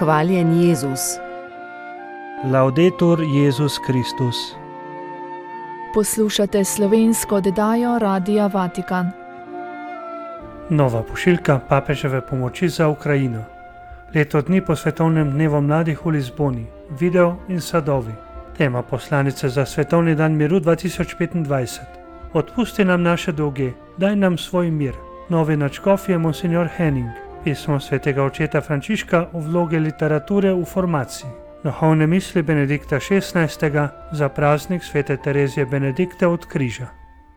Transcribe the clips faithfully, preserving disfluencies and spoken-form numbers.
Hvaljen Jezus. Laudetur Jezus Kristus. Poslušate slovensko oddajo Radia Vatikan. Nova pošiljka papeževe pomoči za Ukrajino. Leto dni po svetovnem dnevu mladih v Lizboni. Video in sadovi. Tema poslanice za svetovni dan miru dva tisoč petindvajset. Odpusti nam naše dolge, daj nam svoj mir. Novi nadškof je monsignor Henning. Pismo svetega očeta Frančiška o vlogi literature v formaciji. Duhovne misli Benedikta šestnajstega za praznik svete Terezije Benedikte od križa.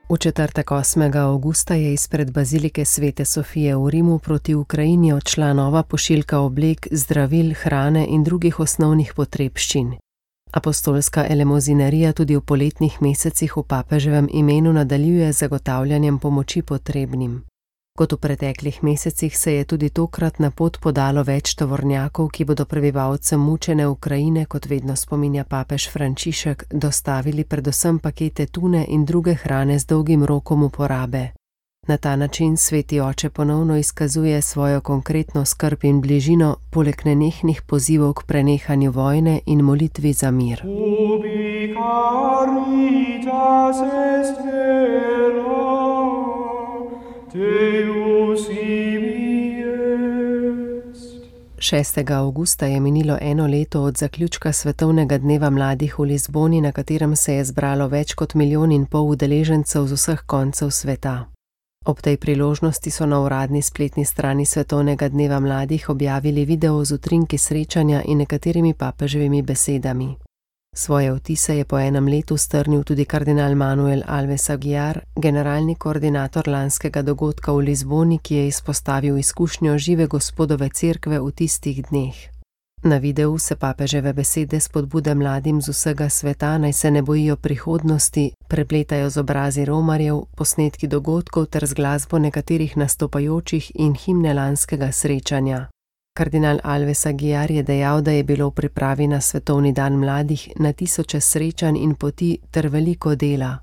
V četrtek osmega avgusta je izpred bazilike svete Sofije v Rimu proti Ukrajini odšla nova pošiljka oblek, zdravil, hrane in drugih osnovnih potrebščin. Apostolska elemozinarija tudi v poletnih mesecih v papeževem imenu nadaljuje z zagotavljanjem pomoči potrebnim. Kot v preteklih mesecih se je tudi tokrat na pot podalo več tovornjakov, ki bodo prebivalcem mučene Ukrajine, kot vedno spominja papež Frančišek, dostavili predvsem pakete tune in druge hrane z dolgim rokom uporabe. Na ta način sveti oče ponovno izkazuje svojo konkretno skrb in bližino, poleg nenehnih pozivov k prenehanju vojne in molitvi za mir. Ubi caritas est vera, Deus ibi est. šestega avgusta je minilo eno leto od zaključka svetovnega dneva mladih v Lizboni, na katerem se je zbralo več kot milijon in pol udeležencev z vseh koncev sveta. Ob tej priložnosti so na uradni spletni strani svetovnega dneva mladih objavili video z utrinki srečanja in nekaterimi papeževimi besedami. Svoje vtise je po enem letu strnil tudi kardinal Manuel Alves Aguiar, generalni koordinator lanskega dogodka v Lizboni, ki je izpostavil izkušnjo žive Gospodove cerkve v tistih dneh. Na videu se papeževe besede spodbude mladim z vsega sveta, naj se ne bojijo prihodnosti, prepletajo z obrazi romarjev, posnetki dogodkov ter z glasbo nekaterih nastopajočih in himne lanskega srečanja. Kardinal Alves Aguiar je dejal, da je bilo v pripravi na svetovni dan mladih na tisoče srečanj in poti ter veliko dela.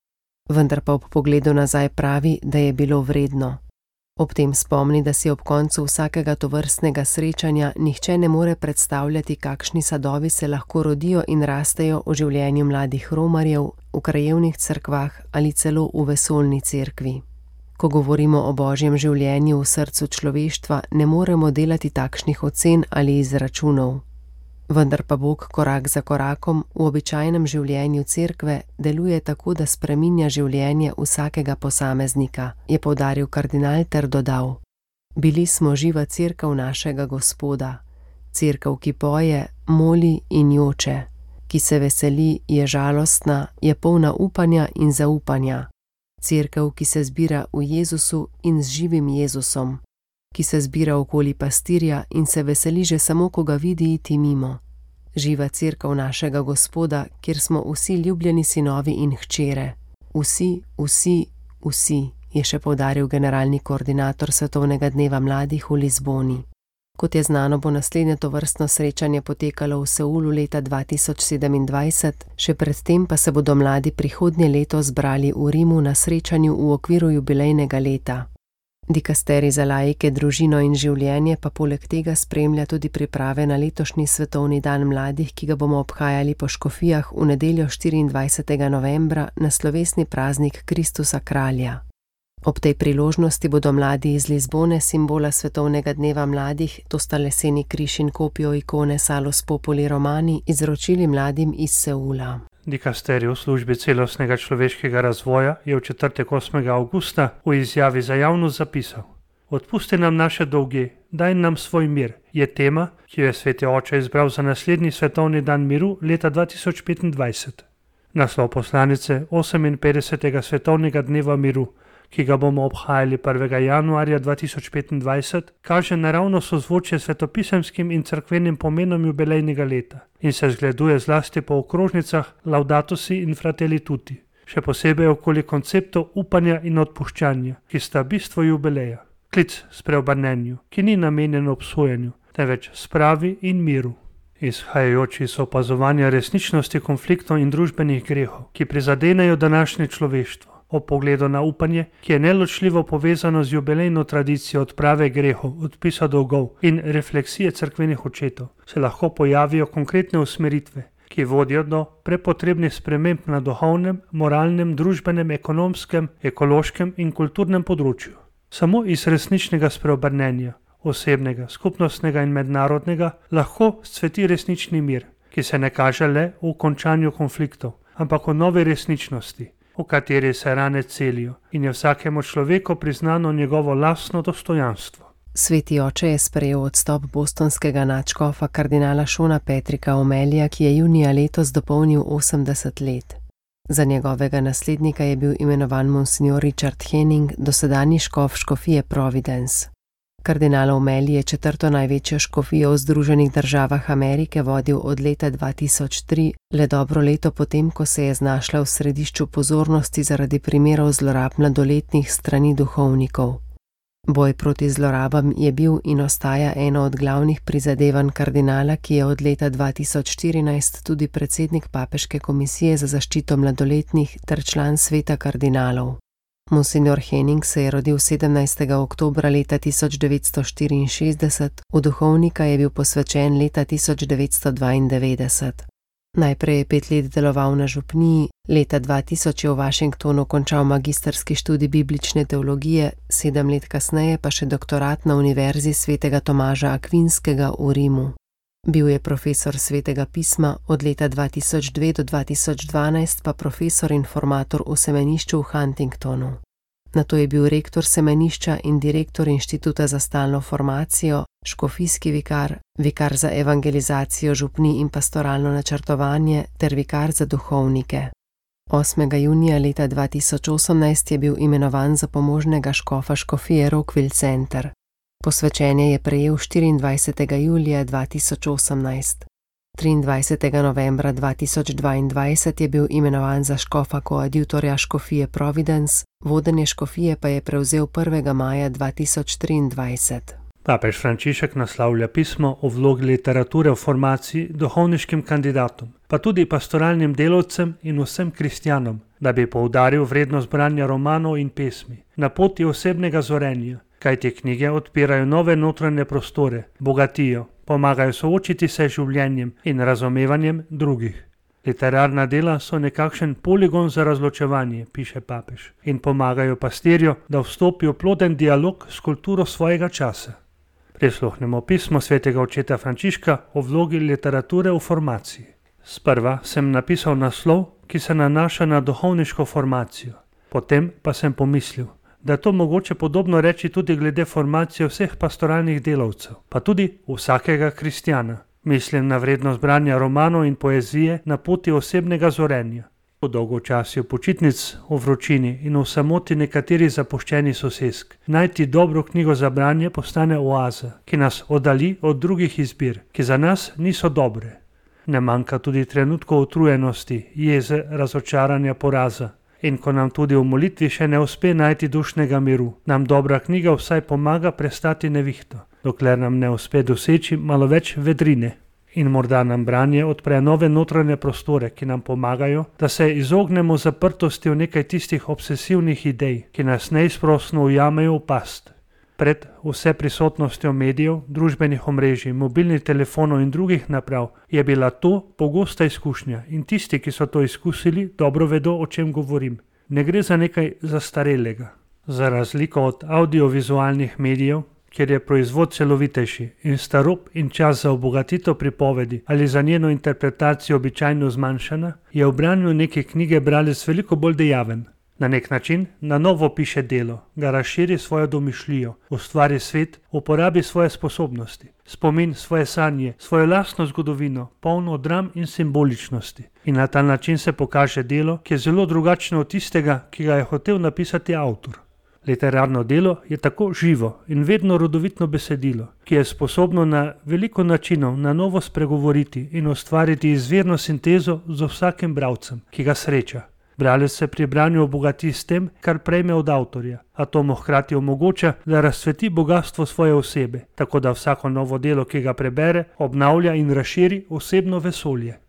Vendar pa ob pogledu nazaj pravi, da je bilo vredno. Ob tem spomni, da si ob koncu vsakega tovrstnega srečanja nihče ne more predstavljati, kakšni sadovi se lahko rodijo in rastejo v življenju mladih romarjev, v krajevnih cerkvah ali celo v vesoljni cerkvi. Ko govorimo o božjem življenju v srcu človeštva, ne moremo delati takšnih ocen ali izračunov. Vendar pa Bog korak za korakom v običajnem življenju cerkve deluje tako, da spreminja življenje vsakega posameznika, je poudaril kardinal ter dodal: Bili smo živa cerkev našega Gospoda, cerkev, ki poje, moli in joče, ki se veseli, je žalostna, je polna upanja in zaupanja. Cerkev, ki se zbira v Jezusu in z živim Jezusom, ki se zbira okoli pastirja in se veseli že samo, ko ga vidi iti mimo. Živa cerkev našega Gospoda, kjer smo vsi ljubljeni sinovi in hčere. Vsi, vsi, vsi, je še poudaril generalni koordinator svetovnega dneva mladih v Lizboni. Kot je znano, bo naslednje tovrstno srečanje potekalo v Seulu leta dva tisoč sedemindvajset, še predtem pa se bodo mladi prihodnje leto zbrali v Rimu na srečanju v okviru jubilejnega leta. Dikasterij za laike, družino in življenje pa poleg tega spremlja tudi priprave na letošnji svetovni dan mladih, ki ga bomo obhajali po škofijah v nedeljo štiriindvajsetega novembra na slovesni praznik Kristusa kralja. Ob tej priložnosti bodo mladi iz Lizbone, simbola svetovnega dneva mladih, to sta leseni križ in kopijo ikone Salus Populi Romani, izročili mladim iz Seula. Dikasterij v službi celostnega človeškega razvoja je v četrtek osmega avgusta v izjavi za javnost zapisal: Odpusti nam naše dolge, daj nam svoj mir, je tema, ki jo je sveti oče izbral za naslednji svetovni dan miru leta dva tisoč petindvajset. Naslov poslanice oseminpetdesetega svetovnega dneva miru, ki ga bomo obhajali prvega januarja dva tisoč petindvajset, kaže naravno sozvočje svetopisemskim in cerkvenim pomenom jubilejnega leta in se zgleduje zlasti po okrožnicah Laudato si in Fratelli tutti, še posebej okoli konceptov upanja in odpuščanja, ki sta bistvo jubileja. Klic spreobrnenju, ki ni namenjen obsojanju, temveč spravi in miru. Izhajajoči iz opazovanja resničnosti konfliktov in družbenih grehov, ki prizadenejo današnje človeštvo, o pogledu na upanje, ki je neločljivo povezano z jubilejno tradicijo odprave grehov, odpisa dolgov in refleksije cerkvenih očetov, se lahko pojavijo konkretne usmeritve, ki vodijo do prepotrebnih sprememb na duhovnem, moralnem, družbenem, ekonomskem, ekološkem in kulturnem področju. Samo iz resničnega spreobrnenja, osebnega, skupnostnega in mednarodnega, lahko scveti resnični mir, ki se ne kaže le v končanju konfliktov, ampak v novi resničnosti, v kateri se rane celijo in je vsakemu človeku priznano njegovo lastno dostojanstvo. Sveti oče je sprejel odstop bostonskega nadškofa kardinala Šona Patricka O'Malleyja, ki je junija letos dopolnil osemdeset let. Za njegovega naslednika je bil imenovan monsignor Richard Henning, dosedanji škof škofije Providence. Kardinal O'Malley je četrto največjo škofijo v Združenih državah Amerike vodil od leta dva tisoč tri, le dobro leto potem, ko se je znašla v središču pozornosti zaradi primerov zlorab mladoletnih strani duhovnikov. Boj proti zlorabam je bil in ostaja eno od glavnih prizadevanj kardinala, ki je od leta dva tisoč štirinajst tudi predsednik Papeške komisije za zaščito mladoletnih ter član sveta kardinalov. Monsignor Henning se je rodil sedemnajstega oktobra leta tisoč devetsto štiriinšestdeset, v duhovnika je bil posvečen leta tisoč devetsto dvaindevetdeset. Najprej je pet let deloval na župniji, leta dva tisoč je v Washingtonu končal magistrski študij biblične teologije, sedem let kasneje pa še doktorat na Univerzi svetega Tomaža Akvinskega v Rimu. Bil je profesor svetega pisma, od leta dva tisoč dve do dva tisoč dvanajst pa profesor in formator v semenišču v Huntingtonu. Nato je bil rektor semenišča in direktor Inštituta za stalno formacijo, škofijski vikar, vikar za evangelizacijo župnij in pastoralno načrtovanje ter vikar za duhovnike. osmega junija leta dva tisoč osemnajst je bil imenovan za pomožnega škofa škofije Rockville Center. Posvečenje je prejel štiriindvajsetega julija dva tisoč osemnajst. triindvajsetega novembra dva tisoč dvaindvajset je bil imenovan za škofa koadjutorja škofije Providence, vodenje škofije pa je prevzel prvega maja dva tisoč triindvajset. Papež Frančišek naslavlja pismo o vlogi literature v formaciji duhovniškim kandidatom, pa tudi pastoralnim delavcem in vsem kristjanom, da bi poudaril vrednost branja romanov in pesmi na poti osebnega zorenja, kaj te knjige odpirajo nove notranje prostore, bogatijo, pomagajo soočiti se z življenjem in razumevanjem drugih. Literarna dela so nekakšen poligon za razločevanje, piše papež, in pomagajo pastirju, da vstopi v ploden dialog s kulturo svojega časa. Prisluhnemo pismo svetega očeta Frančiška o vlogi literature v formaciji. Sprva sem napisal naslov, ki se nanaša na duhovniško formacijo. Potem pa sem pomislil, da je to mogoče podobno reči tudi glede formacije vseh pastoralnih delavcev, pa tudi vsakega kristjana. Mislim na vrednost branja romanov in poezije na poti osebnega zorenja. Po dolgočasju počitnic, v vročini in v samoti nekaterih zapuščenih sosesk, najti dobro knjigo za branje postane oaza, ki nas oddalji od drugih izbir, ki za nas niso dobre. Ne manjka tudi trenutkov utrujenosti, jeze, razočaranja, poraza. In ko nam tudi v molitvi še ne uspe najti dušnega miru, nam dobra knjiga vsaj pomaga prestati nevihto, dokler nam ne uspe doseči malo več vedrine. In morda nam branje odpre nove notranje prostore, ki nam pomagajo, da se izognemo zaprtosti v nekaj tistih obsesivnih idej, ki nas neizprosno ujamejo v past. Pred vse prisotnostjo medijev, družbenih omrežij, mobilnih telefonov in drugih naprav je bila to pogosta izkušnja in tisti, ki so to izkusili, dobro vedo, o čem govorim. Ne gre za nekaj zastarelega. Za razliko od audiovizualnih medijev, kjer je proizvod celovitejši in sta rob in čas za obogatitev pripovedi ali za njeno interpretacijo običajno zmanjšana, je v branju neke knjige bralec veliko bolj dejaven. Na nek način na novo piše delo, ga razširi svojo domišljijo, ustvari svet, uporabi svoje sposobnosti, spomin svoje sanje, svojo lastno zgodovino, polno dram in simboličnosti. In na ta način se pokaže delo, ki je zelo drugačno od tistega, ki ga je hotel napisati avtor. Literarno delo je tako živo in vedno rodovitno besedilo, ki je sposobno na veliko načinov na novo spregovoriti in ustvariti izvirno sintezo z vsakim bralcem, ki ga sreča. Bralec se pri branju obogati s tem, kar prejme od avtorja, a to mu hkrati omogoča, da razcveti bogastvo svoje osebe, tako da vsako novo delo, ki ga prebere, obnavlja in razširi osebno vesolje.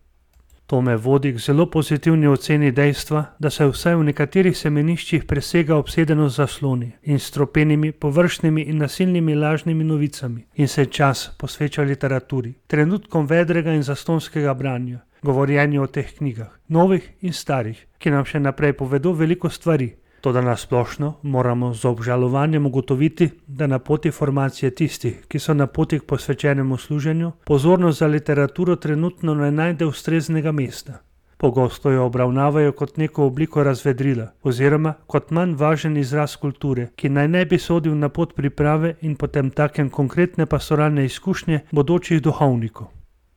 To me vodi k zelo pozitivni oceni dejstva, da se vsaj v nekaterih semeniščih presega obsedenost zasloni in stropenimi, površnimi in nasilnimi lažnimi novicami in se čas posveča literaturi, trenutkom vedrega in zastonskega branja, govorjenju o teh knjigah, novih in starih, ki nam še naprej povedo veliko stvari. Toda nasplošno moramo z obžalovanjem ugotoviti, da na poti formacije tistih, ki so na poti k posvečenemu služenju, pozornost za literaturo trenutno ne najde ustreznega mesta. Pogosto jo obravnavajo kot neko obliko razvedrila oziroma kot manj važen izraz kulture, ki naj ne bi sodil na pot priprave in potem takem konkretne pastoralne izkušnje bodočih duhovnikov.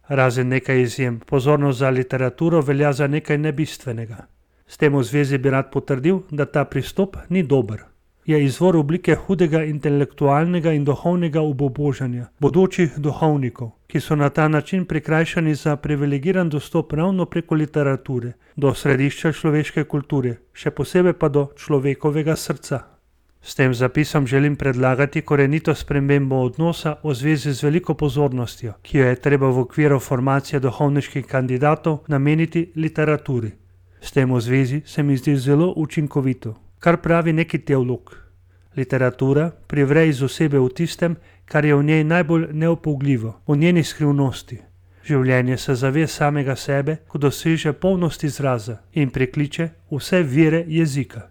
Razen nekaj izjem, pozornost za literaturo velja za nekaj nebistvenega. S tem v zvezi bi rad potrdil, da ta pristop ni dober. Je izvor oblike hudega intelektualnega in duhovnega obubožanja bodočih duhovnikov, ki so na ta način prikrajšani za privilegiran dostop ravno preko literature do središča človeške kulture, še posebej pa do človekovega srca. S tem zapisom želim predlagati korenito spremembo odnosa v zvezi z veliko pozornostjo, ki jo je treba v okviru formacije duhovniških kandidatov nameniti literaturi. S tem v zvezi se mi zdi zelo učinkovito, kar pravi neki teolog. Literatura privre iz osebe v tistem, kar je v njej najbolj neopougljivo, v njeni skrivnosti. Življenje se zave samega sebe, ko doseže polnost izraza in prekliče vse vire jezika.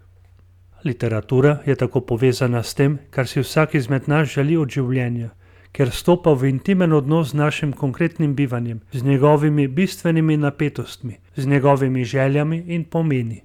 Literatura je tako povezana s tem, kar si vsak izmed nas želi od življenja, ker stopa v intimen odnos z našim konkretnim bivanjem, z njegovimi bistvenimi napetostmi, z njegovimi željami in pomeni.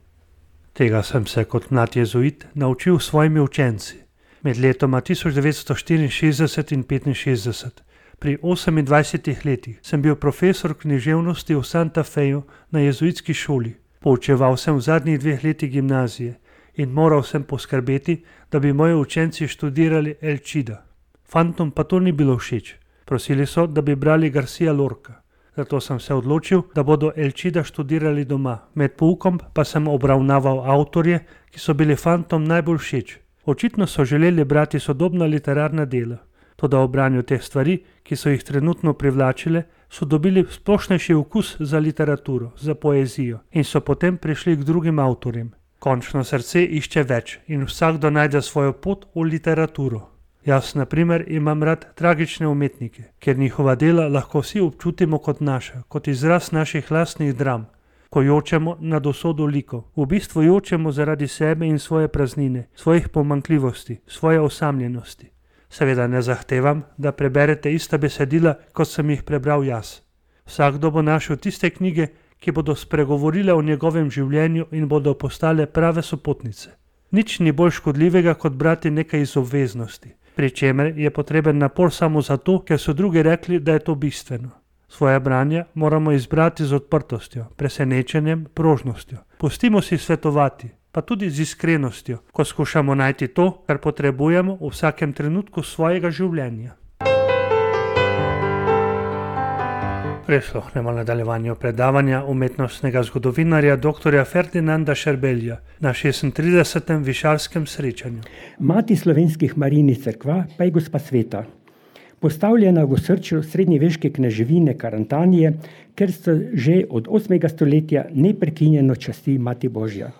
Tega sem se kot mlad jezuit naučil s svojimi učenci. Med letoma tisoč devetsto štiriinšestdeset in petinšestdeset, pri osemindvajsetih letih, sem bil profesor književnosti v Santa Feju na jezuitski šoli. Poučeval sem v zadnjih dveh letih gimnazije in moral sem poskrbeti, da bi moji učenci študirali Elčida. Fantom pa to ni bilo všeč. Prosili so, da bi brali Garcia Lorca. Zato sem se odločil, da bodo Elčida študirali doma. Med poukom pa sem obravnaval avtorje, ki so bili fantom najbolj všeč. Očitno so želeli brati sodobna literarna dela. Toda ob branju teh stvari, ki so jih trenutno privlačile, so dobili splošnejši okus za literaturo, za poezijo in so potem prišli k drugim avtorjem. Končno srce išče več in vsakdo najde svojo pot v literaturo. Jaz, na primer, imam rad tragične umetnike, ker njihova dela lahko vsi občutimo kot naša, kot izraz naših lastnih dram. Ko jočemo nad usodo likov, v bistvu jočemo zaradi sebe in svoje praznine, svojih pomanjkljivosti, svoje osamljenosti. Seveda ne zahtevam, da preberete ista besedila, kot sem jih prebral jaz. Vsakdo bo našel tiste knjige, ki bodo spregovorile o njegovem življenju in bodo postale prave sopotnice. Nič ni bolj škodljivega, kot brati nekaj iz obveznosti, pri čemer je potreben napor samo zato, ker so drugi rekli, da je to bistveno. Svoje branje moramo izbrati z odprtostjo, presenečenjem, prožnostjo. Pustimo si svetovati, pa tudi z iskrenostjo, ko skušamo najti to, kar potrebujemo v vsakem trenutku svojega življenja. Prisluhnemo nadaljevanju predavanja umetnostnega zgodovinarja dr. Ferdinanda Šerbelja na šestintridesetem višarskem srečanju. Mati slovenskih Marijnih cerkva pa je Gospa Sveta, postavljena v osrčju srednjeveške kneževine Karantanije, ker so že od osmega stoletja neprekinjeno časti Mati Božja.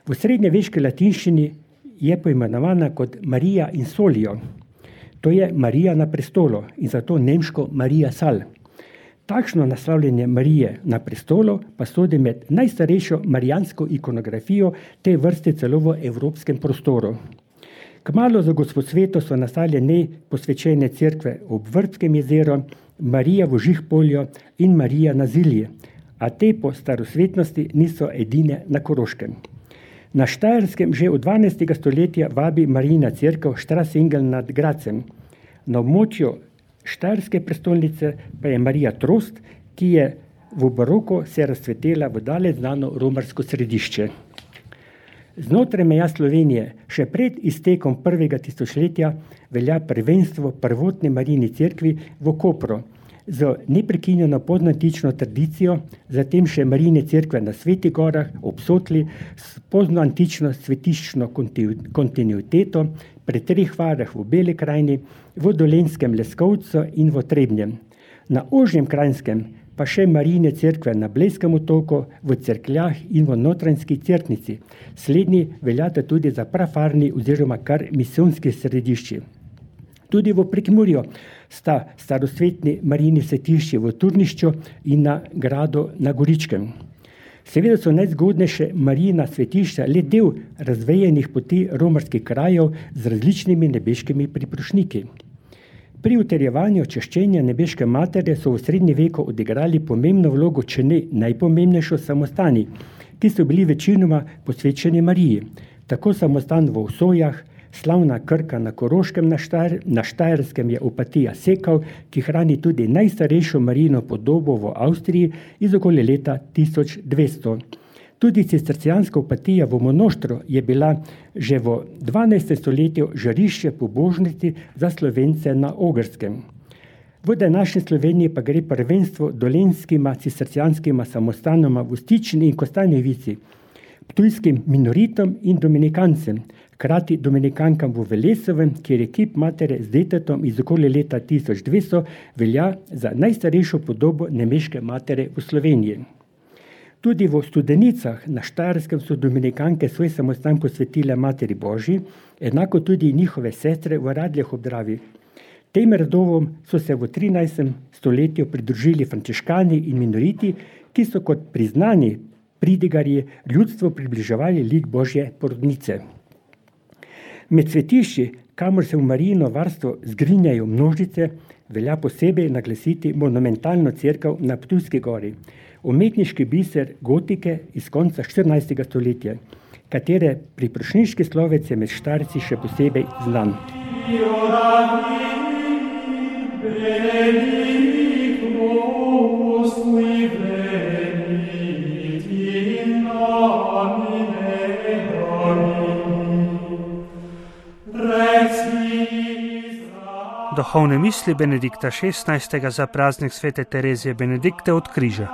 V srednjeveški latinščini je poimenovana kot Marija in Solio, to je Marija na prestolu in zato nemško Marija Sal. Takšno naslavljanje Marije na prestolu pa sodi med najstarejšo marijansko ikonografijo te vrste celo v evropskem prostoru. Kmalu za Gospo Sveto so nastale njej posvečene cerkve ob Vrbskem jezeru, Marija v Žihpolju in Marija na Zilji, a te po starosvetnosti niso edine na Koroškem. Na Štajerskem že od dvanajstega stoletja vabi Marijina cerkev Štrasengel nad Gradcem. Na območju Štajerske prestolnice pa je Marija Trost, ki je v baroku se razcvetela v daleč znano romarsko središče. Znotraj meja Slovenije še pred iztekom prvega tisočletja velja prvenstvo prvotne Marijini cerkvi v Kopru z neprekinjeno podnantično tradicijo, zatem še Marijine cerkve na Svetih gorah ob Sotli s poznoantično svetiščno kontinuiteto, pri treh varah v Beli krajini, v Dolenjskem Leskovcu in v Trebnjem. Na ožjem Kranjskem pa še Marijine cerkve na Blejskem otoku, v Cerkljah in v Notranjski Cerknici. Slednji veljata tudi za prafarni oziroma kar misijonski središči. Tudi v Prekmurju sta starosvetni Marijini svetišči v Turnišču in na Gradu na Goričkem. Seveda so najzgodnejše Marijina svetišča le del razvejenih poti romarskih krajev z različnimi nebeškimi priprošniki. Pri utrjevanju čaščenja nebeške matere so v srednji veku odigrali pomembno vlogo, če ne najpomembnejšo, samostani, ki so bili večinoma posvečeni Mariji. Tako samostan v Osojah, slavna Krka na Koroškem, na, Štajer, na Štajerskem je Opatija Sekal, ki hrani tudi najstarejšo Marijino podobo v Avstriji iz okoli leta tisoč dvesto. Tudi cistercijanska Opatija v Monoštru je bila že v dvanajstem stoletju žarišče pobožnosti za Slovence na Ogrskem. V današnji Sloveniji pa gre prvenstvo dolenskima cistercijanskima samostanoma v Stični in Kostanjevici, ptujskim minoritom in dominikancem, hkrati dominikankam v Velesovem, kjer je kip matere z detetom iz okoli leta tisoč dvesto velja za najstarejšo podobo nemeške matere v Sloveniji. Tudi v Studenicah na Štajerskem so dominikanke svoj samostan posvetile Materi Božji, enako tudi njihove sestre v Radljah ob Dravi. Tem redovom so se v trinajstem stoletju pridružili frančiškani in minoriti, ki so kot priznani pridigarji ljudstvu približevali lik Božje porodnice. Med svetišči, kamor se v Marijino varstvo zgrinjajo množice, velja posebej naglasiti monumentalno cerkev na Ptujski gori, umetniški biser gotike iz konca štirinajstega stoletja, katere priprošnjiški slovec je med Štajerci še posebej znan. Duhovne misli Benedikta šestnajstega za praznik svete Terezije Benedikte od križa.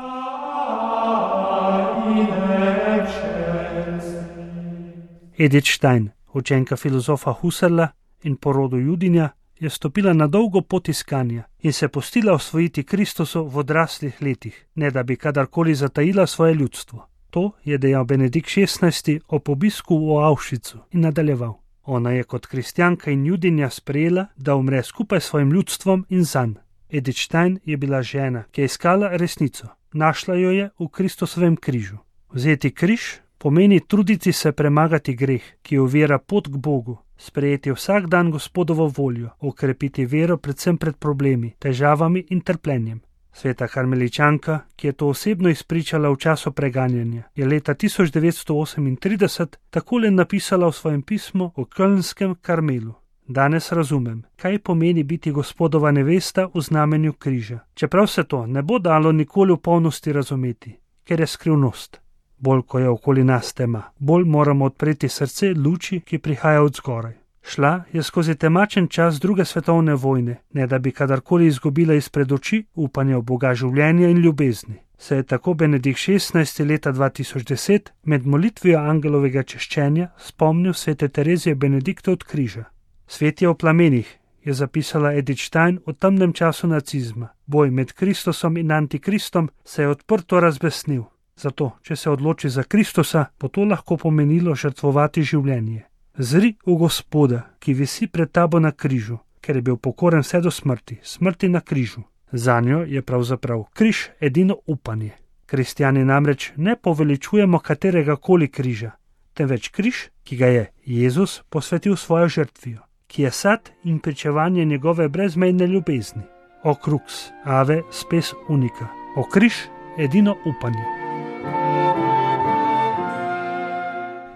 Edith Stein, učenka filozofa Husserla in po rodu Judinja, je stopila na dolgo pot iskanja in se pustila osvojiti Kristusu v odraslih letih, ne da bi kadarkoli zatajila svoje ljudstvo. To je dejal Benedikt šestnajsti ob obisku v Auschwitzu in nadaljeval. Ona je kot kristjanka in Judinja sprejela, da umre skupaj s svojim ljudstvom in zanj. Edith Stein je bila žena, ki je iskala resnico. Našla jo je v Kristusovem križu. Vzeti križ pomeni truditi se premagati greh, ki ovira pot k Bogu, sprejeti vsak dan Gospodovo voljo, okrepiti vero predvsem pred problemi, težavami in trpljenjem. Sveta karmeličanka, ki je to osebno izpričala v času preganjanja, je leta tisoč devetsto osemintrideset takole napisala v svojem pismu o Kölnskem Karmelu. Danes razumem, kaj pomeni biti Gospodova nevesta v znamenju križa, čeprav se to ne bo dalo nikoli v polnosti razumeti, ker je skrivnost. Bolj ko je okoli nas tema, bolj moramo odpreti srce luči, ki prihaja od zgoraj. Šla je skozi temačen čas druge svetovne vojne, ne da bi kadarkoli izgubila izpred oči upanje v Boga življenja in ljubezni. Se je tako Benedikt šestnajsti leta dva tisoč deset med molitvijo angelovega češčenja spomnil svete Terezije Benedikte od križa. Svet je v plamenih, je zapisala Edith Stein o temnem času nacizma. Boj med Kristusom in antikristom se je odprto razbesnil. Zato, če se odloči za Kristusa, bo to lahko pomenilo žrtvovati življenje. Zri v Gospoda, ki visi pred tabo na križu, ker je bil pokoren vse do smrti, smrti na križu. Zanjo je pravzaprav križ edino upanje. Kristjani namreč ne poveličujemo katerega koli križa, temveč križ, ki ga je Jezus posvetil svojo žrtvijo, ki je sad in pričevanje njegove brezmejne ljubezni. O crux, ave spes unica, o križ edino upanje.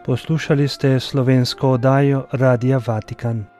Poslušali ste slovensko oddajo Radia Vatikan.